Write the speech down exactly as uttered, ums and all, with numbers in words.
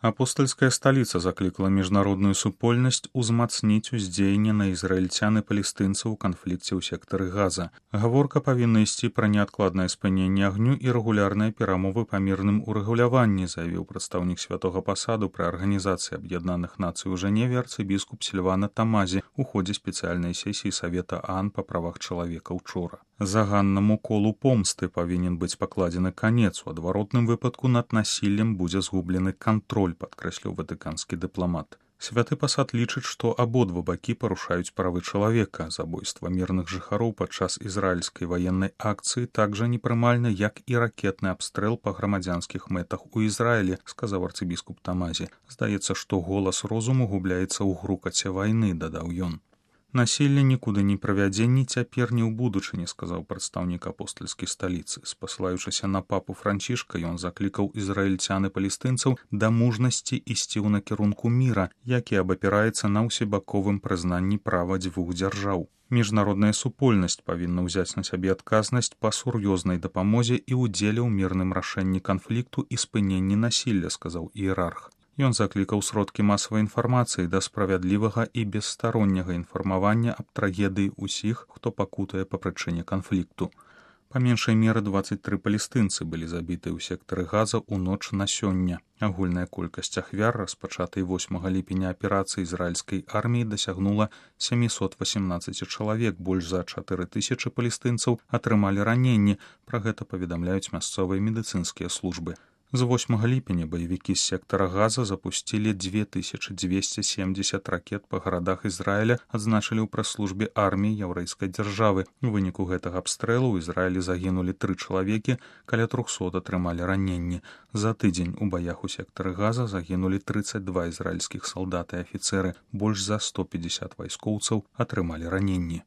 Апостольская сталіца заклікала міжнародную супольнасць узмацніць уздзеянне на ізраільцян і палестынцаў у канфлікце ў сектары Газа. Гаворка павінна ісці пра неадкладнае спыненне агню і рэгулярныя перамовы па мірным урэгуляванні, заявіў прадстаўнік святога пасаду пры Арганізацыі Аб'яднаных Нацый у Жэневе арцыбіскуп Сільвана Тамазі у ходзе спецыяльнай сесіі Савета ААН па правах чалавека ўчора. Заганнаму колу помсты павінен быць пакладзены канец. У адваротным выпадку над насіллем будзе згублены кантроль, падкрэсліў ватыканскі дыпламат. Святы пасад лічыць, што абодва бакі парушаюць правы чалавека. Забойства мірных жыхароў падчас ізраільскай ваеннай акцыі так жа непрымальна, як і ракетны абстрэл па грамадзянскіх мэтах у Ізраілі, сказаў арцыбіскуп Тамазі. Здаецца, што голас розуму губляецца ў грукаце вайны, дадаў ён. Насілле нікуды не правядзе ні цяпер, ні ў будучыні, сказаў прадстаўнік апостальскай сталіцы. Спасылаючыся на папу Францішка, ён заклікаў ізраільцян і палестынцаў да мужнасці ісці ў накірунку міра, які абапіраецца на ўсебаковым прызнанні права дзвюх дзяржаў. Міжнародная супольнасць павінна ўзяць на сябе адказнасць па сур'ёзнай дапамозе і ўдзеле ў мірным рашэнні канфлікту і спыненні насілля, сказаў іерарх. Ён заклікаў сродкі масавай інфармацыі да справядлівага і бесстаронняга інфармавання аб трагедыі ўсіх, хто пакутае па прычыне канфлікту. Па меншай меры дваццаць тры палестынцы былі забітыя ў сектары Газа ў ноч на сёння. Агульная колькасць ахвяр, распачатай восьмага ліпеня аперацыі ізраільскай арміі, дасягнула сямісот васемнаццаць чалавек, больш за чатыры тысячы палестынцаў атрымалі раненні, пра гэта паведамляюць мясцовыя медыцынскія службы. З восьмага ліпеня баевікі з сектара Газа запусцілі дзве тысячы дзвесце семдзесят ракет па гарадах Ізраіля, адзначылі ў прэс-службе арміі яўрэйскай дзяржавы. У выніку гэтага абстрэлу ў Ізраілі загінулі тры чалавекі, каля трохсот атрымалі раненні. За тыдзень у баях у сектары Газа загінулі трыццаць два ізраільскіх салдаты і афіцэры, больш за сто пятьдесят вайскоўцаў атрымалі раненні.